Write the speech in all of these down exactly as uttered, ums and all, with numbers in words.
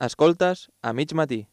Escoltes a mig matí.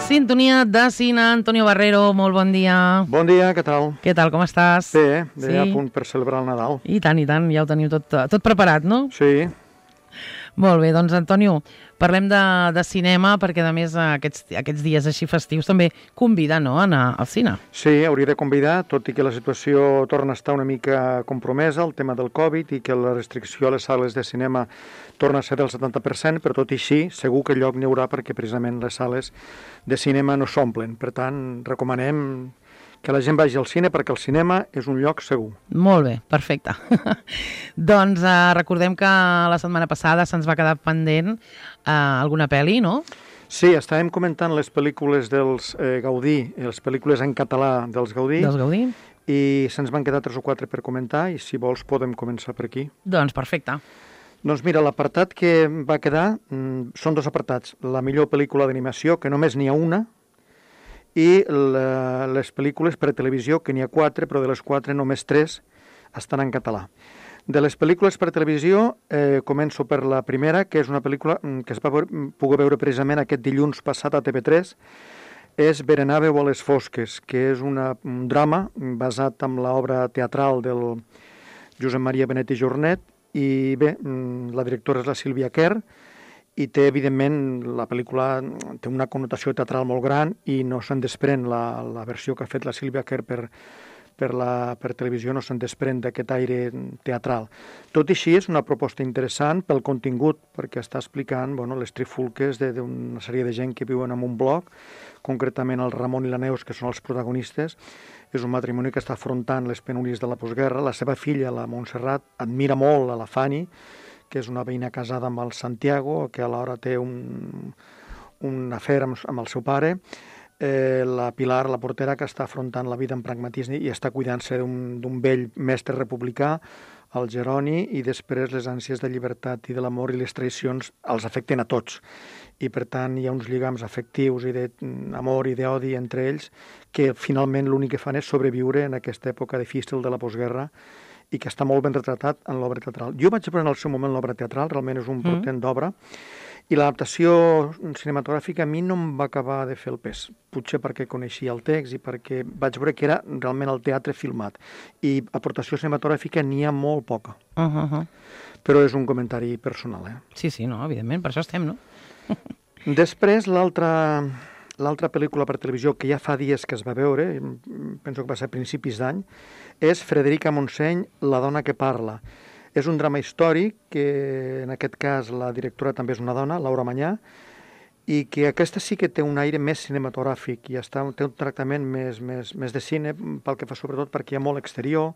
Sintonia de cine, Antonio Barrero, molt bon dia. Bon dia, què tal? Què tal, com estàs? Bé, bé, sí. A punt per celebrar el Nadal. I tant, i tant, ja ho teniu tot, tot preparat, no? Sí. Molt bé, doncs Antonio, parlem de, de cinema perquè a més aquests, aquests dies així festius també convida, no?, a anar al cine. Sí, hauria de convidar, tot i que la situació torna a estar una mica compromesa, el tema del Covid, i que la restricció a les sales de cinema torna a ser del setanta per cent, però tot i així segur que lloc n'hi haurà perquè precisament les sales de cinema no s'omplen. Per tant, recomanem que la gent vagi al cine perquè el cinema és un lloc segur. Molt bé, perfecte. Doncs eh, recordem que la setmana passada se'ns va quedar pendent eh, alguna pel·li, no? Sí, estàvem comentant les pel·lícules dels eh, Gaudí, les pel·lícules en català dels Gaudí. Dels Gaudí. I se'ns van quedar tres o quatre per comentar i si vols podem començar per aquí. Doncs perfecte. Doncs mira, l'apartat que va quedar mm, són dos apartats. La millor pel·lícula d'animació, que només n'hi ha una, i la, les pel·lícules per a televisió, que n'hi ha quatre, però de les quatre només tres estan en català. De les pel·lícules per a televisió, eh, començo per la primera, que és una pel·lícula que es va veure, poder veure precisament aquest dilluns passat a T V tres, és Berenàveu a les fosques, que és una, un drama basat en l'obra teatral del Josep Maria Benet i Jornet, i bé, la directora és la Sílvia Quer, i té, evidentment, la pel·lícula té una connotació teatral molt gran i no se'n desprèn la, la versió que ha fet la Sílvia Quer per, per, la, per televisió, no se'n desprèn d'aquest aire teatral. Tot i així, és una proposta interessant pel contingut, perquè està explicant bueno, les trifulques d'una sèrie de gent que viuen en un bloc, concretament el Ramon i la Neus, que són els protagonistes. És un matrimoni que està afrontant les penúries de la postguerra. La seva filla, la Montserrat, admira molt a la Fanny, que és una veïna casada amb el Santiago, que alhora té un, un afer amb, amb el seu pare. Eh, la Pilar, la portera, que està afrontant la vida amb pragmatisme i està cuidant-se d'un vell mestre republicà, el Jeroni, i després les ànsies de llibertat i de l'amor i les traïcions els afecten a tots. I per tant hi ha uns lligams afectius i d'amor i d'odi entre ells que finalment l'únic que fan és sobreviure en aquesta època difícil de la postguerra i que està molt ben retratat en l'obra teatral. Jo vaig veure en el seu moment l'obra teatral, realment és un portent mm. d'obra, i l'adaptació cinematogràfica a mi no em va acabar de fer el pes, potser perquè coneixia el text i perquè vaig veure que era realment el teatre filmat. I aportació cinematogràfica n'hi ha molt poca. Uh -huh. Però és un comentari personal, eh? Sí, sí, no, evidentment, per això estem, no? Després, l'altra l'altra pel·lícula per televisió que ja fa dies que es va veure, penso que va ser a principis d'any, és Frederica Montseny, La dona que parla. És un drama històric que, en aquest cas, la directora també és una dona, Laura Manyà, i que aquesta sí que té un aire més cinematogràfic i està, té un tractament més, més, més de cine, pel que fa sobretot perquè hi ha molt exterior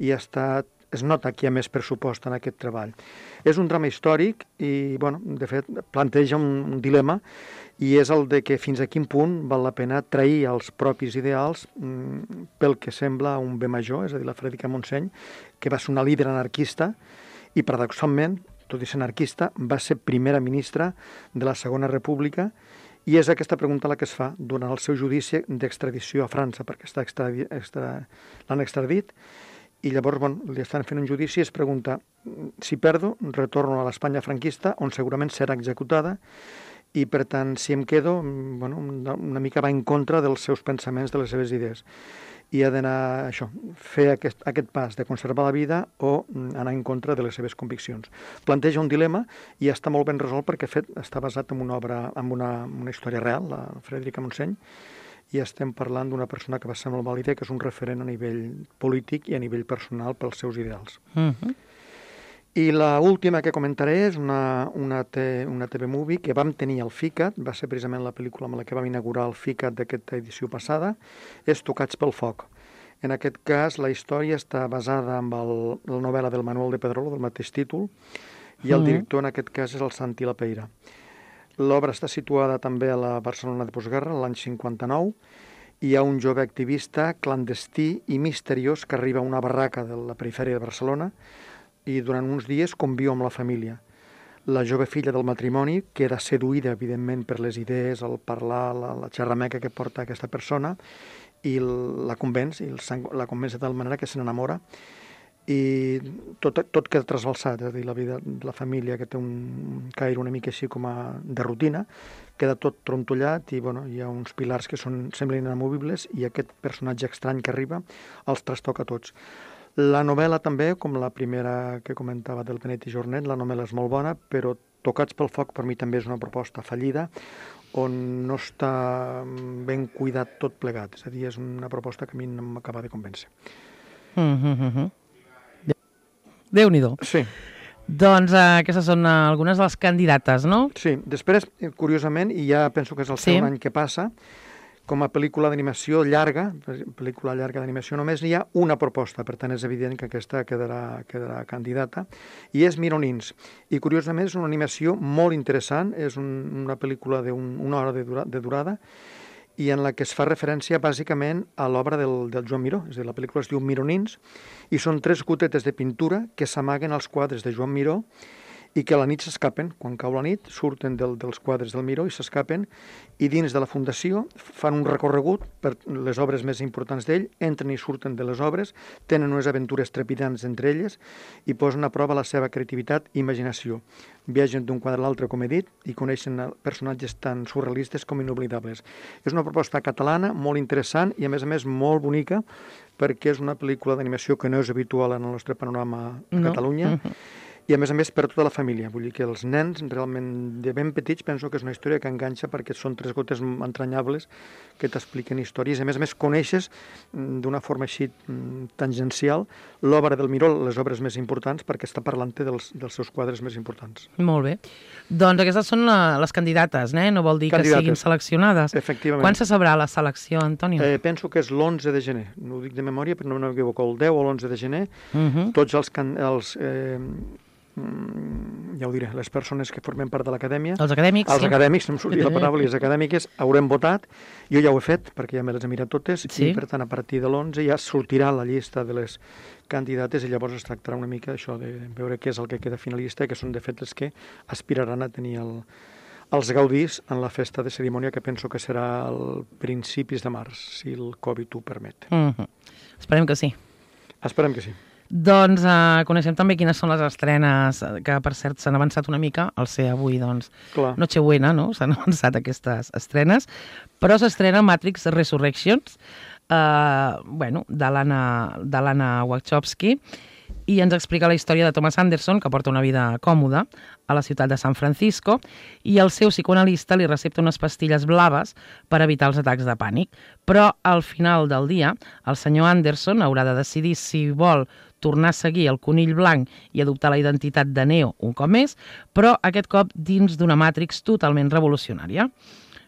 i està, es nota que hi ha més pressupost en aquest treball. És un drama històric i, bueno, de fet, planteja un, un dilema i és el de que fins a quin punt val la pena trair els propis ideals mm, pel que sembla un bé major, és a dir, la Frederica Montseny, que va ser una líder anarquista i, paradoxalment, tot i ser anarquista, va ser primera ministra de la Segona República i és aquesta pregunta la que es fa durant el seu judici d'extradició a França, perquè està extradi, extra, l'han extradit i llavors bon, li estan fent un judici i es pregunta si perdo, retorno a l'Espanya franquista on segurament serà executada i per tant, si em quedo, bueno, una, una mica va en contra dels seus pensaments, de les seves idees. I ha d'anar, això, fer aquest, aquest pas de conservar la vida o anar en contra de les seves conviccions. Planteja un dilema i està molt ben resolt perquè fet, està basat en una obra, en una, una història real, la Frederica Montseny, i estem parlant d'una persona que va ser molt vàlida, que és un referent a nivell polític i a nivell personal pels seus ideals. Uh-huh. I l'última que comentaré és una, una, te, una T V movie que vam tenir al FICAT, va ser precisament la pel·lícula amb la que vam inaugurar el FICAT d'aquesta edició passada, és Tocats pel foc. En aquest cas, la història està basada en el, la novel·la del Manuel de Pedrolo, del mateix títol, i el director en aquest cas és el Santi Lapeira. L'obra està situada també a la Barcelona de postguerra, l'any cinquanta-nou. Hi ha un jove activista clandestí i misteriós que arriba a una barraca de la perifèria de Barcelona i durant uns dies conviu amb la família. La jove filla del matrimoni queda seduïda, evidentment, per les idees, el parlar, la, la xerrameca que porta aquesta persona, i la convenç, i el sang, la convenç de tal manera que se n'enamora, i tot, tot queda trasbalsat, és a dir, la vida de la família, que té un caire una mica així com a de rutina, queda tot trontollat i bueno, hi ha uns pilars que són, semblen inamovibles, i aquest personatge estrany que arriba els trastoca tots. La novel·la també, com la primera que comentava del Benet i Jornet, la novel·la és molt bona, però Tocats pel foc per mi també és una proposta fallida, on no està ben cuidat tot plegat. És a dir, és una proposta que a mi no m'acaba de convèncer. Mm-hmm. Déu-n'hi-do. Sí. Doncs uh, aquestes són uh, algunes de les candidates, no? Sí. Després, curiosament, i ja penso que és el sí. segon any que passa, com a pel·lícula d'animació llarga, pel·lícula llarga d'animació, només hi ha una proposta, per tant és evident que aquesta quedarà, quedarà candidata, i és Mironins. I curiosament és una animació molt interessant, és un, una pel·lícula d'una hora de, dura, de durada, i en la que es fa referència bàsicament a l'obra del, del Joan Miró, és a dir, la pel·lícula es diu Mironins, i són tres gotetes de pintura que s'amaguen als quadres de Joan Miró, i que a la nit s'escapen, quan cau la nit, surten del, dels quadres del Miró i s'escapen, i dins de la fundació fan un recorregut per les obres més importants d'ell, entren i surten de les obres, tenen unes aventures trepidants entre elles i posen a prova la seva creativitat i imaginació. Viatgen d'un quadre a l'altre, com he dit, i coneixen personatges tan surrealistes com inoblidables. És una proposta catalana molt interessant i, a més a més, molt bonica, perquè és una pel·lícula d'animació que no és habitual en el nostre panorama a no. Catalunya, i a més a més per tota la família. Vull dir que els nens realment de ben petits penso que és una història que enganxa perquè són tres gotes entranyables que t'expliquen històries. A més a més coneixes d'una forma així tangencial l'obra del Miró, les obres més importants, perquè està parlant-te dels, dels seus quadres més importants. Molt bé. Doncs aquestes són la, les candidates, eh? No vol dir candidates. Que siguin seleccionades. Efectivament. Quan se sabrà la selecció, Antonio? Eh, penso que és l'onze de gener. No ho dic de memòria, però no m'equivoco, el deu o l'onze de gener. Uh-huh. Tots els... els eh, ja ho diré, les persones que formen part de l'acadèmia, els acadèmics, els sí. acadèmics, no em sortia la paraula, i les acadèmiques haurem votat, jo ja ho he fet perquè ja me les he mirat totes, sí. I per tant a partir de l'onze ja sortirà la llista de les candidates i llavors es tractarà una mica això de veure què és el que queda finalista, que són de fet les que aspiraran a tenir el, els gaudís en la festa de cerimònia, que penso que serà al principis de març, si el Covid ho permet. Mm-hmm. Esperem que sí. Esperem que sí. Doncs uh, coneixem també quines són les estrenes, que per cert s'han avançat una mica, al ser avui, doncs, Clar. Nochebuena, no? S'han avançat aquestes estrenes, però s'estrena Matrix Resurrections, uh, bueno, de l'Anna Wachowski, i ens explica la història de Thomas Anderson, que porta una vida còmoda a la ciutat de San Francisco, i el seu psicoanalista li recepta unes pastilles blaves per evitar els atacs de pànic. Però al final del dia, el senyor Anderson haurà de decidir si vol tornar a seguir el conill blanc i adoptar la identitat de Neo un cop més, però aquest cop dins d'una Matrix totalment revolucionària.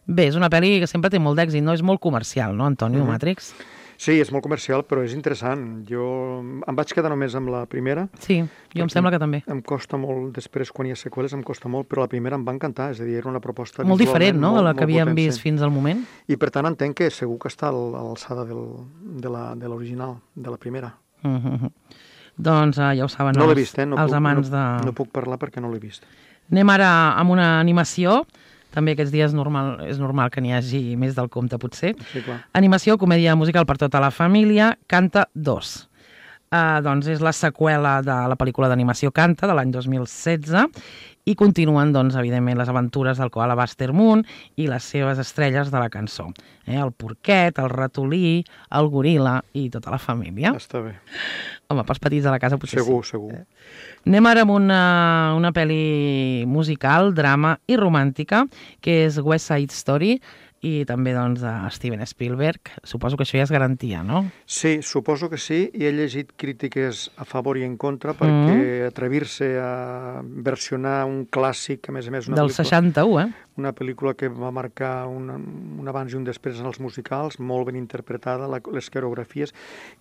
Bé, és una pel·li que sempre té molt d'èxit, no? És molt comercial, no, Antonio, mm-hmm. Matrix? Sí, és molt comercial, però és interessant. Jo em vaig quedar només amb la primera. Sí, jo em sembla que també. Em costa molt, després quan hi ha seqüeles em costa molt, però la primera em va encantar, és a dir, era una proposta molt diferent, no?, de la que havíem vist fins al moment. I per tant entenc que segur que està a l'alçada de l'original, de la primera. Mm-hmm. Doncs uh, ja ho saben no els, vist, eh? no els puc, amants no, de... No puc parlar perquè no l'he vist. Anem ara amb una animació. També aquests dies normal, és normal que n'hi hagi més del compte, potser. Sí, clar. Animació, comèdia musical per tota la família, Canta dos. Uh, doncs és la seqüela de la pel·lícula d'animació Canta, de l'any dos mil setze, i continuen, doncs, evidentment, les aventures del koala Buster Moon i les seves estrelles de la cançó. Eh? El porquet, el ratolí, el goril·la i tota la família. Està bé. Home, pels petits de la casa potser segur, sí. Segur, segur. Eh? Anem ara amb una, una pel·li musical, drama i romàntica, que és West Side Story, i també, doncs, de Steven Spielberg. Suposo que això ja és garantia, no? Sí, suposo que sí, i he llegit crítiques a favor i en contra, perquè mm. atrevir-se a versionar un clàssic, a més a més... Una del seixanta-u, eh? Una pel·lícula que va marcar un, un abans i un després en els musicals, molt ben interpretada, la, les coreografies,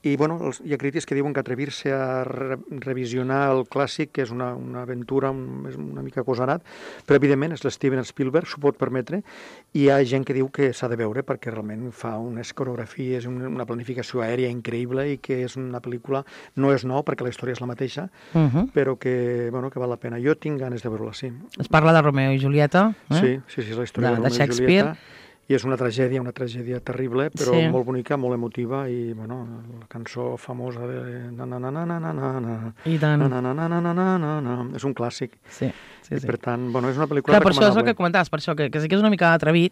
i bueno, els, hi ha crítics que diuen que atrevir-se a re, revisionar el clàssic, que és una, una aventura, un, és una mica agosarat, però evidentment és l'Steven Spielberg, s'ho pot permetre, i hi ha gent que diu que s'ha de veure perquè realment fa unes coreografies, una planificació aèria increïble i que és una pel·lícula, no és nou perquè la història és la mateixa, uh -huh. però que, bueno, que val la pena. Jo tinc ganes de veure-la, sí. Es parla de Romeo i Julieta, eh? Sí, sí, sí, és la història de, de, de Romeo i Julieta. I és una tragèdia, una tragèdia terrible, però sí. molt bonica, molt emotiva, i, bueno, la cançó famosa de... Na, na, na, na, na, na, na, I tant. Na, na, na, na, na, na, na, na. És un clàssic. Sí, sí, I, sí. per tant, bueno, és una pel·lícula Clar, per recomanable. això és el que comentaves, per això, que, que sí que és una mica atrevit,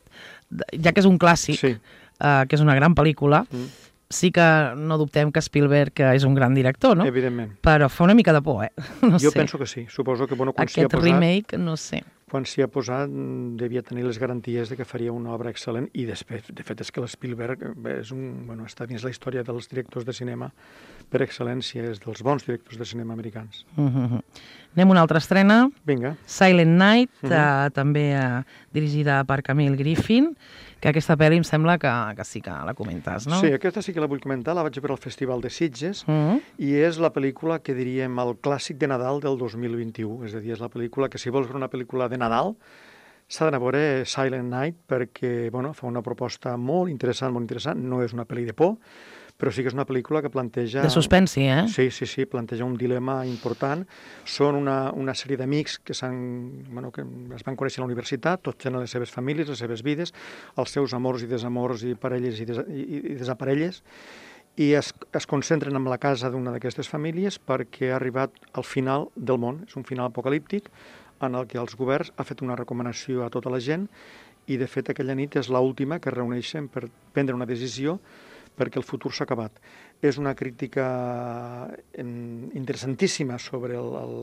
ja que és un clàssic, sí. uh, que és una gran pel·lícula, mm. sí que no dubtem que Spielberg és un gran director, no? Evidentment. Però fa una mica de por, eh? No jo sé. penso que sí. Suposo que, bueno, quan s'hi ha Aquest posat... remake, no sé. Quan s'hi ha posat, devia tenir les garanties de que faria una obra excel·lent, i després, de fet, és que l'Spielberg és un, bueno, està dins la història dels directors de cinema per excel·lència, és dels bons directors de cinema americans. Uh-huh. Anem a una altra estrena. Vinga. Silent Night, uh-huh. uh, també uh, dirigida per Camille Griffin, que aquesta pel·li em sembla que, que sí que la comentes, no? Sí, aquesta sí que la vull comentar, la vaig veure al Festival de Sitges, uh-huh. i és la pel·lícula que diríem el clàssic de Nadal del dos mil vint-i-u, és a dir, és la pel·lícula que si vols veure una pel·lícula de Nadal s'ha d'anar a veure Silent Night perquè, bueno, fa una proposta molt interessant, molt interessant, no és una pel·li de por, però sí que és una pel·lícula que planteja... De suspensi, eh? Sí, sí, sí, planteja un dilema important. Són una, una sèrie d'amics que, bueno, que es van conèixer a la universitat, tots tenen les seves famílies, les seves vides, els seus amors i desamors i parelles i, des, i, i desaparelles, i es, es concentren en la casa d'una d'aquestes famílies perquè ha arribat al final del món. És un final apocalíptic en el que els governs ha fet una recomanació a tota la gent i, de fet, aquella nit és l'última que es reuneixen per prendre una decisió perquè el futur s'ha acabat. És una crítica interessantíssima sobre el, el,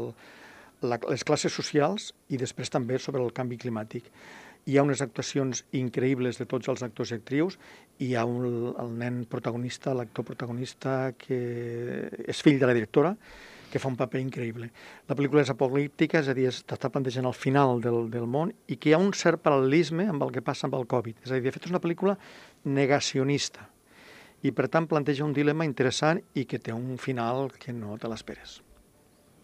la, les classes socials i després també sobre el canvi climàtic. Hi ha unes actuacions increïbles de tots els actors i actrius, i hi ha un, el nen protagonista, l'actor protagonista, que és fill de la directora, que fa un paper increïble. La pel·lícula és apocalíptica, és a dir, està plantejant el final del, del món, i que hi ha un cert paral·lelisme amb el que passa amb el Covid. És a dir, de fet, és una pel·lícula negacionista, i per tant planteja un dilema interessant i que té un final que no te l'esperes.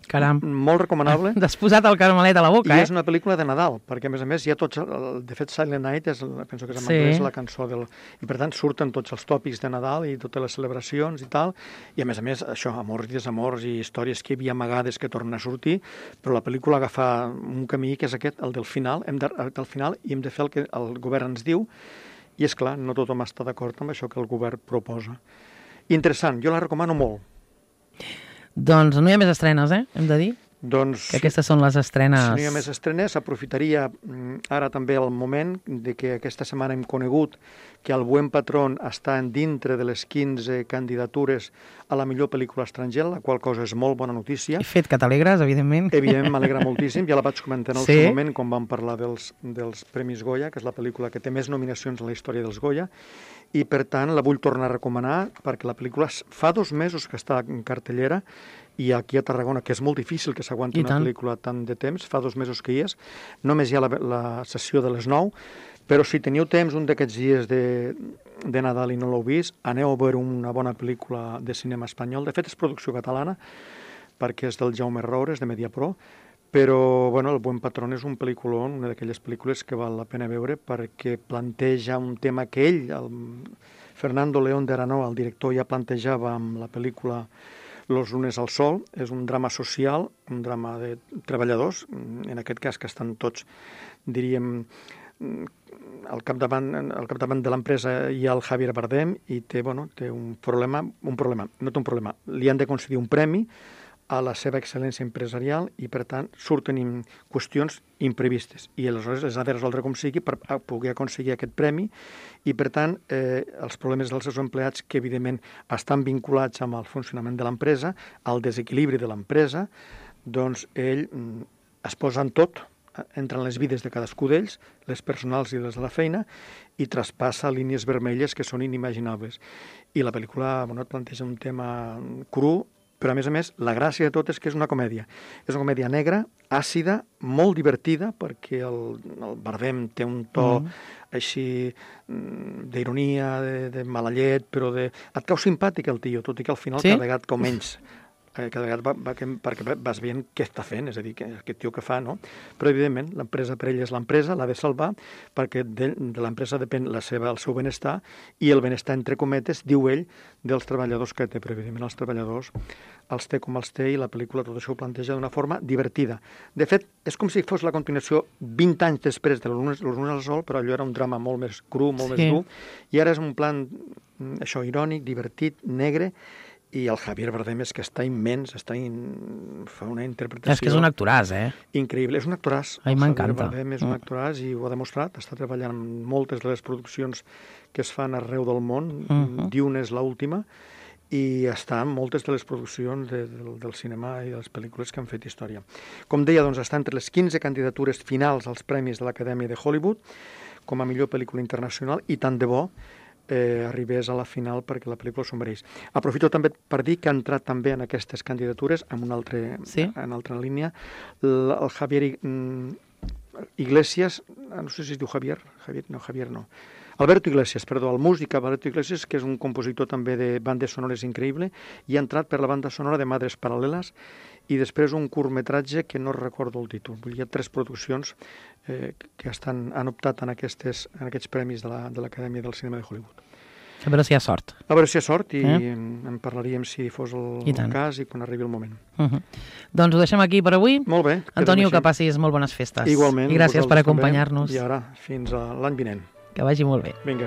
Caram. Molt recomanable. T'has posat el caramelet a la boca, I eh? és una pel·lícula de Nadal, perquè a més a més hi ha tots... El, de fet, Silent Night és, penso que és en sí. anglès, la cançó del... I per tant surten tots els tòpics de Nadal i totes les celebracions i tal, i a més a més això, amors i desamors i històries que hi havia amagades que tornen a sortir, però la pel·lícula agafa un camí que és aquest, el del final, hem de, el del final, i hem de fer el que el govern ens diu, i és clar, no tothom està d'acord amb això que el govern proposa. Interessant, jo la recomano molt. Doncs no hi ha més estrenes, eh? Hem de dir. Doncs, que aquestes són les estrenes... Si no hi ha més estrenes, aprofitaria ara també el moment de que aquesta setmana hem conegut que el Buen Patrón està dintre de les quinze candidatures a la millor pel·lícula estrangera, la qual cosa és molt bona notícia. He fet que t'alegres, evidentment. Evidentment, m'alegra moltíssim. Ja la vaig comentar en el sí? seu moment, quan vam parlar dels, dels Premis Goya, que és la pel·lícula que té més nominacions en la història dels Goya, i per tant la vull tornar a recomanar perquè la pel·lícula fa dos mesos que està en cartellera, i aquí a Tarragona, que és molt difícil que s'aguanti una pel·lícula tant de temps, fa dos mesos que hi és, només hi ha la, la sessió de les nou, però si teniu temps un d'aquests dies de, de Nadal i no l'heu vist, aneu a veure una bona pel·lícula de cinema espanyol. De fet, és producció catalana, perquè és del Jaume Roures, de Mediapro, però bueno, El Buen Patrón és un pel·lículon, una d'aquelles pel·lícules que val la pena veure perquè planteja un tema que ell, el Fernando León de Aranoa, el director, ja plantejava amb la pel·lícula Los lunes al sol. És un drama social, un drama de treballadors, en aquest cas que estan tots, diríem, al capdavant, al capdavant de l'empresa hi ha el Javier Bardem i té, bueno, té un problema, un problema, no té un problema. Li han de concedir un premi a la seva excel·lència empresarial i, per tant, surten qüestions imprevistes. I aleshores les ha de resoldre com sigui per poder aconseguir aquest premi i, per tant, eh, els problemes dels seus empleats, que, evidentment, estan vinculats amb el funcionament de l'empresa, al desequilibri de l'empresa, doncs ell mm, es posa en tot, entra en les vides de cadascú d'ells, les personals i les de la feina, i traspassa línies vermelles que són inimaginables. I la pel·lícula, bueno, et planteja un tema cru, però, a més a més, la gràcia de tot és que és una comèdia. És una comèdia negra, àcida, molt divertida, perquè el, el Bardem té un to mm. així d'ironia, de, de mala llet, però de... et cau simpàtic el tio, tot i que al final sí? cada vegada com menys. Cada vegada va, va, perquè vas veient què està fent, és a dir, que, aquest tio que fa, no? Però, evidentment, l'empresa per ell és l'empresa, l'ha de salvar, perquè de, de l'empresa depèn la seva, el seu benestar, i el benestar, entre cometes, diu ell, dels treballadors que té, però, evidentment, els treballadors els té com els té, i la pel·lícula tot això ho planteja d'una forma divertida. De fet, és com si fos la continuació vint anys després de l'Los Lunes al Sol, però allò era un drama molt més cru, molt sí. més dur, i ara és un plan, això, irònic, divertit, negre, i el Javier Bardem és que està immens, està in... fa una interpretació... És que és un actoràs, eh? Increïble, és un actoràs. A mi m'encanta. El Javier Bardem és un actoràs i ho ha demostrat, està treballant en moltes de les produccions que es fan arreu del món, uh -huh. Dune és l'última, i està en moltes de les produccions de, de, del cinema i de les pel·lícules que han fet història. Com deia, doncs, està entre les quinze candidatures finals als Premis de l'Acadèmia de Hollywood com a millor pel·lícula internacional, i tant de bo Eh, arribés a la final perquè la pel·lícula s'ho mereix. Aprofito també per dir que ha entrat també en aquestes candidatures, en una altra, sí? en altra línia, el, el Javier Iglesias, no sé si es diu Javier, Javier no, Javier no, Alberto Iglesias, perdó, el músic Alberto Iglesias, que és un compositor també de bandes sonores increïble, i ha entrat per la banda sonora de Madres Paral·leles, i després un curtmetratge que no recordo el títol. Hi ha tres produccions eh, que estan, han optat en, aquestes, en aquests premis de l'Acadèmia de del Cinema de Hollywood. A veure si hi ha sort. A veure si hi ha sort, i eh? en parlaríem si fos el, el cas i quan arribi el moment. Uh -huh. Doncs ho deixem aquí per avui. Molt bé. Antonio, que passis molt bones festes. Igualment. I gràcies per acompanyar-nos. I ara, fins a l'any vinent. Que vagi molt bé. Vinga.